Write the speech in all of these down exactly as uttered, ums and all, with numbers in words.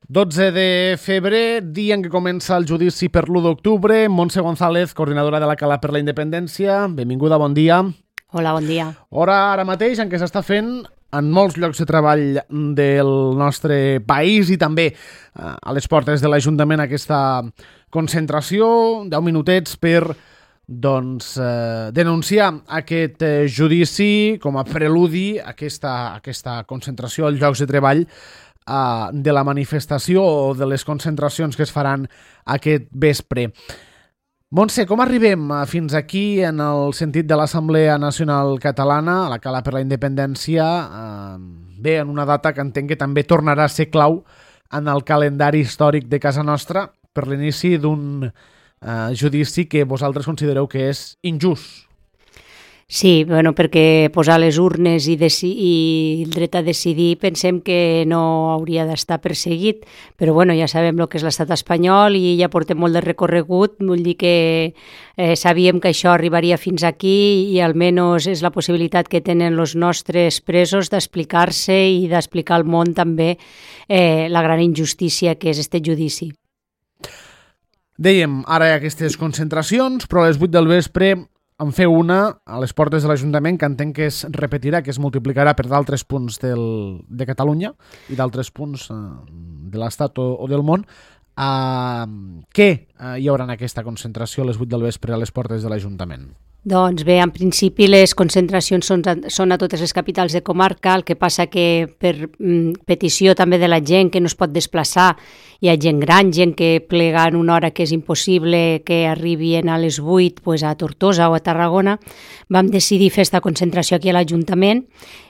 dotze de febrer, dia en què comença el judici per l'u d'octubre. Montse González, coordinadora de la Cala per la Independència. Benvinguda, bon dia. Hola, bon dia. Hora ara mateix en què s'està fent en molts llocs de treball del nostre país i també a les portes de l'Ajuntament aquesta concentració, deu minutets per doncs, eh, denunciar aquest eh, judici com a preludi a aquesta, aquesta concentració als llocs de treball eh, de la manifestació o de les concentracions que es faran aquest vespre. Montse, com arribem fins aquí en el sentit de l'Assemblea Nacional Catalana, a la Cala per la Independència, eh, bé, en una data que entenc que també tornarà a ser clau en el calendari històric de casa nostra per l'inici d'un Uh, judici que vosaltres considereu que és injust? Sí, bueno, perquè posar les urnes i, i el dret a decidir pensem que no hauria d'estar perseguit, però bueno, ja sabem el que és l'estat espanyol i ja portem molt de recorregut, vull dir que eh, sabíem que això arribaria fins aquí i almenys és la possibilitat que tenen els nostres presos d'explicar-se i d'explicar al món també eh, la gran injustícia que és este judici. Dèiem, ara hi ha aquestes concentracions, però a les vuit del vespre en feu una a les portes de l'Ajuntament que entenc que es repetirà, que es multiplicarà per d'altres punts del, de Catalunya i d'altres punts eh, de l'Estat o, o del món. Uh, què uh, hi haurà en aquesta concentració a les vuit del vespre a les portes de l'Ajuntament? Doncs bé, en principi les concentracions són, són a totes les capitals de comarca, el que passa que per mm, petició també de la gent que no es pot desplaçar, hi ha gent gran, gent que plega en una hora que és impossible que arribin a les vuit pues, a Tortosa o a Tarragona, vam decidir fer aquesta concentració aquí a l'Ajuntament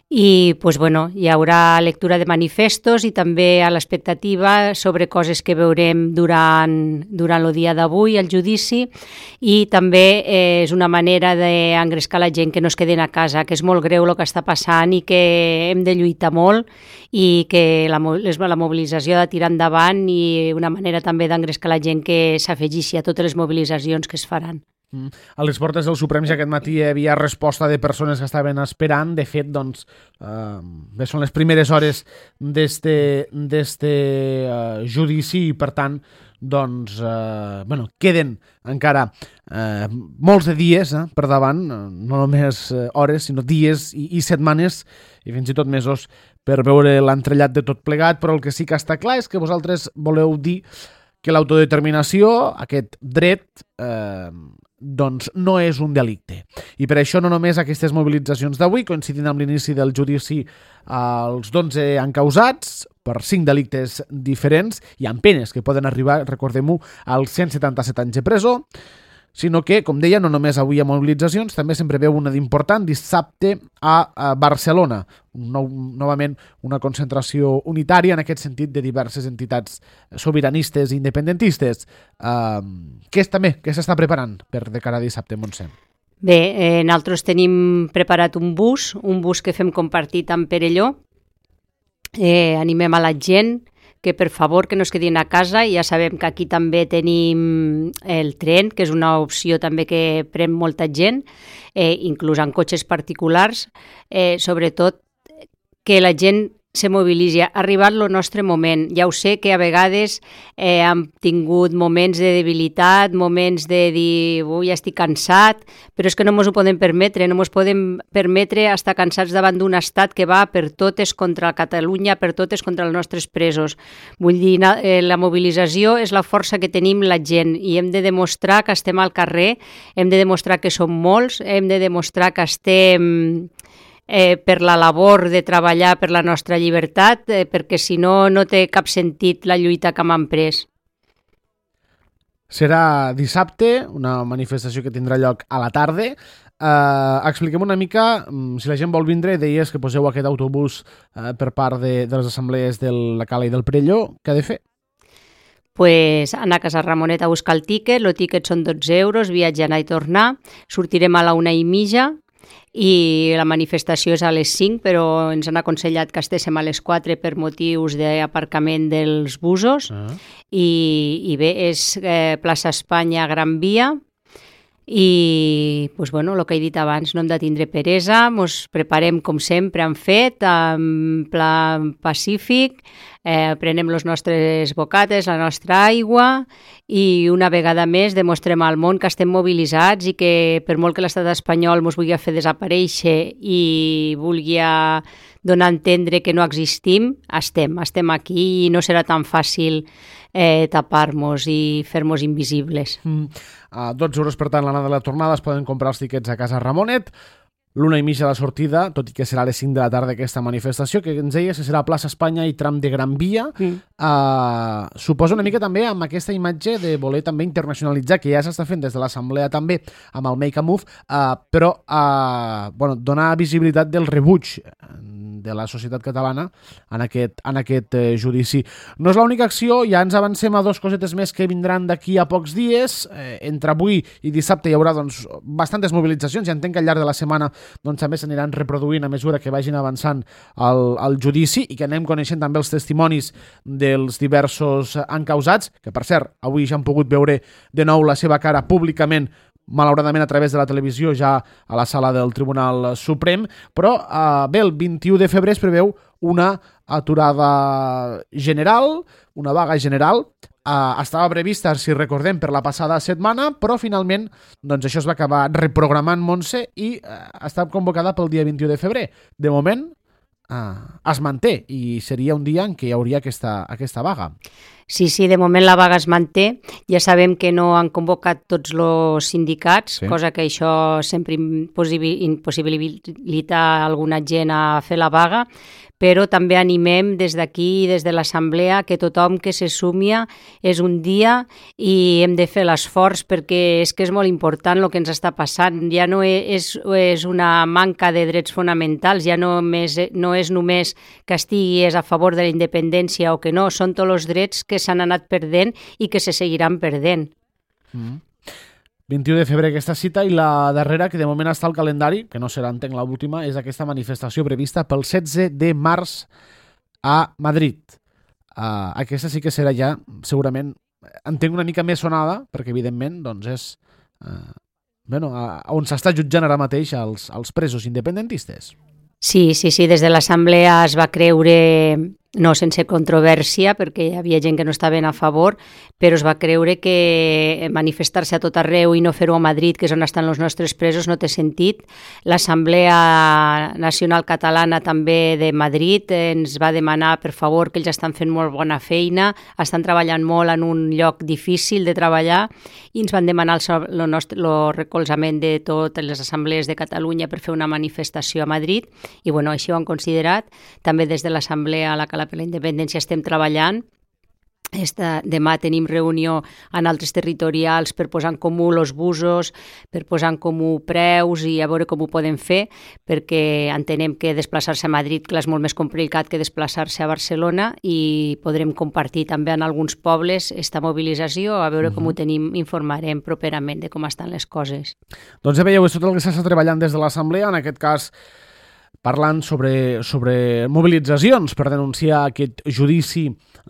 i pues, bueno, hi haurà lectura de manifestos i també a l'expectativa sobre coses que veurem durant, durant el dia d'avui, el judici, i també eh, és una manera d'engrescar la gent que no es queden a casa, que és molt greu el que està passant i que hem de lluitar molt i que la, la mobilització ha de tirar endavant i una manera també d'engrescar la gent que s'afegeixi a totes les mobilitzacions que es faran. A les portes del Suprem ja aquest matí hi havia resposta de persones que estaven esperant. De fet, doncs, eh, bé, són les primeres hores d'este uh, judici i, per tant, doncs, eh, bueno, queden encara eh, molts de dies eh, per davant, no només hores, sinó dies i, i setmanes i fins i tot mesos per veure l'entrellat de tot plegat, però el que sí que està clar és que vosaltres voleu dir que l'autodeterminació, aquest dret, eh, doncs no és un delicte. I per això no només aquestes mobilitzacions d'avui, coincidint amb l'inici del judici als dotze encausats per cinc delictes diferents i amb penes que poden arribar, recordem-ho, als cent setanta-set anys de presó, sinó que, com deia, no només avui hi ha mobilitzacions, també se'n preveu una d'important dissabte a, a Barcelona. Nou, novament una concentració unitària en aquest sentit de diverses entitats sobiranistes i independentistes. Uh, què és també? Què s'està preparant per de cara a dissabte, Montse? Bé, eh, nosaltres tenim preparat un bus, un bus que fem compartit amb Perelló. Eh, animem a la gent que per favor que no es quedin a casa, i ja sabem que aquí també tenim el tren, que és una opció també que pren molta gent, eh, inclús en cotxes particulars, eh, sobretot que la gent se mobilitzi. Ha arribat el nostre moment. Ja ho sé que a vegades eh, hem tingut moments de debilitat, moments de dir, ui, ja estic cansat, però és que no ens ho podem permetre, no ens podem permetre estar cansats davant d'un estat que va per totes contra Catalunya, per totes contra els nostres presos. Vull dir, eh, la mobilització és la força que tenim la gent i hem de demostrar que estem al carrer, hem de demostrar que som molts, hem de demostrar que estem Eh, per la labor de treballar per la nostra llibertat, eh, perquè si no, no té cap sentit la lluita que hem emprès. Serà dissabte, una manifestació que tindrà lloc a la tarda. Eh, expliquem una mica, si la gent vol vindre, deies que poseu aquest autobús eh, per part de, de les assemblees de la Cala i del Perelló, què ha de fer? Pues anar a Casa Ramonet a buscar el tíquet, el tíquet són dotze euros, viatge anar i tornar, sortirem a la una i mitja, i la manifestació és a les cinc, però ens han aconsellat que estéssim a les quatre per motius d'aparcament dels busos. Uh-huh. I, i bé, és eh, plaça Espanya, Gran Via, i pues, bueno, el que he dit abans, no hem de tindre peresa, ens preparem com sempre hem fet, en pla pacífic, eh, prenem les nostres bocates, la nostra aigua i una vegada més demostrem al món que estem mobilitzats i que per molt que l'estat espanyol ens vulgui fer desaparèixer i vulgui donar a entendre que no existim, estem, estem aquí i no serà tan fàcil eh, tapar-nos i fer-nos invisibles. Mm. A dotze euros per tant l'anada de la tornada es poden comprar els tiquets a Casa Ramonet. L'una i mitja de la sortida, tot i que serà a les cinc de la tarda aquesta manifestació, que ens deies que serà a Plaça Espanya i tram de Gran Via. Mm. Uh, suposa una mica també amb aquesta imatge de voler també internacionalitzar, que ja s'està fent des de l'Assemblea també, amb el Make a Move, uh, però uh, bueno, donar visibilitat del rebuig de la societat catalana en aquest, en aquest eh, judici. No és l'única acció, ja ens avancem a dos cosetes més que vindran d'aquí a pocs dies. Eh, entre avui i dissabte hi haurà doncs, bastantes mobilitzacions i entenc que al llarg de la setmana doncs, també s'aniran reproduint a mesura que vagin avançant el, el judici i que anem coneixent també els testimonis dels diversos encausats, que per cert, avui ja han pogut veure de nou la seva cara públicament, malauradament a través de la televisió ja a la sala del Tribunal Suprem, però eh, bé, el vint-i-u de febrer es preveu una aturada general, una vaga general, eh, estava prevista, si recordem, per la passada setmana, però finalment doncs, això es va acabar reprogramant, Montse, i eh, ha estat convocada pel dia vint-i-u de febrer. De moment eh, es manté i seria un dia en què hi hauria aquesta, aquesta vaga. Sí, sí, de moment la vaga es manté. Ja sabem que no han convocat tots els sindicats, sí. Cosa que això sempre impossibilita alguna gent a fer la vaga, però també animem des d'aquí, des de l'Assemblea, que tothom que se sumia és un dia i hem de fer l'esforç perquè és que és molt important el que ens està passant. Ja no és, és una manca de drets fonamentals, ja no, més, no és només que estiguis a favor de la independència o que no, són tots els drets que s'han anat perdent i que se seguiran perdent. Mm. vint-i-u de febrer aquesta cita i la darrera, que de moment està al calendari, que no serà, entenc, l'última, és aquesta manifestació prevista pel setze de març a Madrid. Uh, aquesta sí que serà ja, segurament, entenc una mica més sonada, perquè evidentment doncs és uh, bueno, uh, on s'està jutjant ara mateix els, els presos independentistes. Sí, sí, sí, des de l'Assemblea es va creure, no sense controvèrsia, perquè hi havia gent que no estaven a favor, però es va creure que manifestar-se a tot arreu i no fer-ho a Madrid, que és on estan els nostres presos, no té sentit. L'Assemblea Nacional Catalana també de Madrid ens va demanar, per favor, que ells estan fent molt bona feina, estan treballant molt en un lloc difícil de treballar i ens van demanar el, el, nostre, el recolzament de totes les assemblees de Catalunya per fer una manifestació a Madrid i bueno, així ho han considerat. També des de l'Assemblea a la Cala per la Independència estem treballant. Esta, demà tenim reunió en altres territorials per posar en comú els busos, per posar en comú preus i a veure com ho podem fer, perquè entenem que desplaçar-se a Madrid clar, és molt més complicat que desplaçar-se a Barcelona i podrem compartir també en alguns pobles esta mobilització, a veure uh-huh. com ho tenim, informarem properament de com estan les coses. Doncs ja veieu, és tot el que s'està treballant des de l'Assemblea, en aquest cas parlant sobre, sobre mobilitzacions per denunciar aquest judici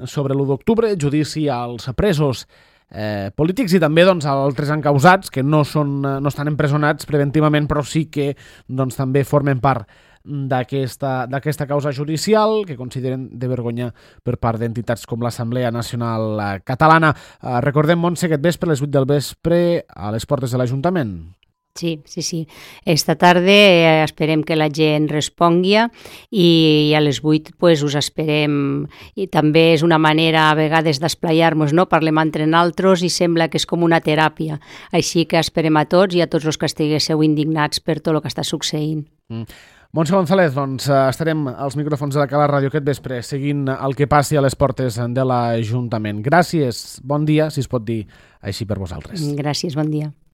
sobre l'u d'octubre, judici als presos eh, polítics i també doncs, als altres encausats que no, són, no estan empresonats preventivament però sí que doncs, també formen part d'aquesta, d'aquesta causa judicial que consideren de vergonya per part d'entitats com l'Assemblea Nacional Catalana. Eh, recordem, Montse, aquest vespre, a les vuit del vespre, a les portes de l'Ajuntament. Sí, sí, sí. Esta tarda eh, esperem que la gent respongui i a les vuit pues, us esperem. I també és una manera a vegades d'esplayar-nos, no? Parlem entre nosaltres i sembla que és com una teràpia. Així que esperem a tots i a tots els que estiguéssiu indignats per tot el que està succeint. Mm. Montse González, doncs estarem als micròfons de la Cala Ràdio aquest vespre seguint el que passi a les portes de l'Ajuntament. Gràcies, bon dia, si es pot dir així per vosaltres. Gràcies, bon dia.